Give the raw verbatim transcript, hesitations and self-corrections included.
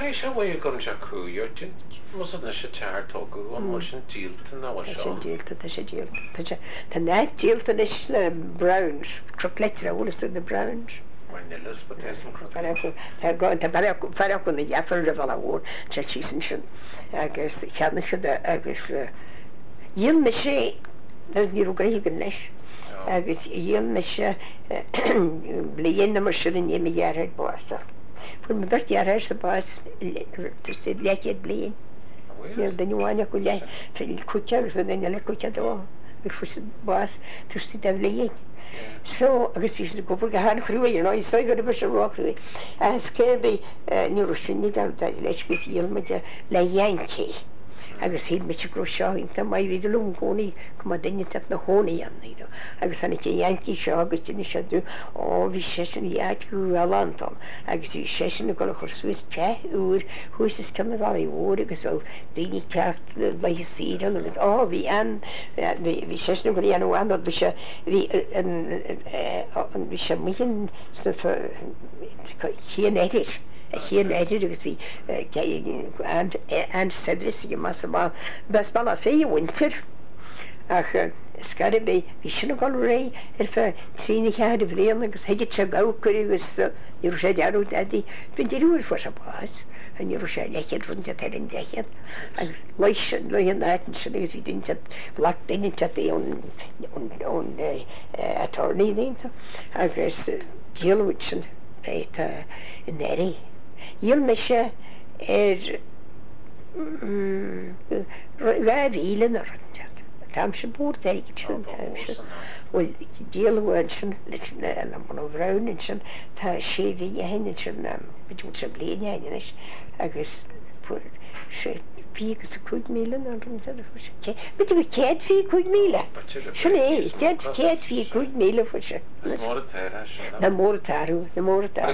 Caithfidh sé uaidh go raibh sé cúig Mus na sé tear tógadh an bhfuil sin díolta nó Tá seo. sin díolta, tá sé díolta. Tá sé Tá net díolta anois le Browns, Cnoc Leitre bhfuil na Browns. Mar nilas ba Tá fear acu na dheartháir a bhela mhór sé sí sin agus cheannaigh siad agus dhíol mise ní raibh gaoth leis agus dhíol mise bliain mar sin ní mo dheartháir bás. Fuair mo bheirt dheartháir sa bás leathchéad bliain. Níl duine amháin acu le cúig agus duine eile cúig dó agus fuair siad bás tuiste de bhliain. So agus bhí siad ag obair go han-chruaidh you know, so go raibh sé róchruaidh. Agus cé bhí ní raibh sin ní leis go dhíol muid le Yankee. Agus shíl mise go raibh seo iontach maith bhí liom cónaí go mba duine teach na chónaí ann you know. Agus tháinig an Yankee seo agus d'inis sé dom ó bhí seisean bhí áit go galánta agus bhí seisean ag dul a chur suas teach úr thuas is cionn an bhealaigh mhóir agus bheadh daoine teacht laethe saoire agus ó bhí an bhí seisean ag dul a dhéanamh an bhí sé bhí an bhí sé amuigh sna chéan oirthir a chéan oirthir agus bhí an-saibhreas aige mas b'as Bealach Féich a mhuintir ach scar bhí bhí sin ag dul réidh ar feadh trí nó ceathair bhliain agus thuigeadh sé gabhcar agus ní raibh sé dearúd dadaí. Bhí deirfiúr fuair sé bás ní raibh sé leithchéad rud ar an leithchéad agus leis le an áit sin agus bhí duine ghlac duine ón ón attorney déanta agus díoladh sin tá in Erie. Dhíol mise ar dhá mhíle na rud Tá sé búr sin bhfuil díoladh ansin leis le Munna Brown ansin tá sé mhí ó shin ansin b'fhéidir sé bliain ó shin anois agus fuair sé fiche agus a cúig míle nó b'fhéidir go céad fiche cúig míle. Sin é céad céad fiche cúig míle fuair sé. Is mór an t-athrú Na mór an t-athrú na mór an t-athrú.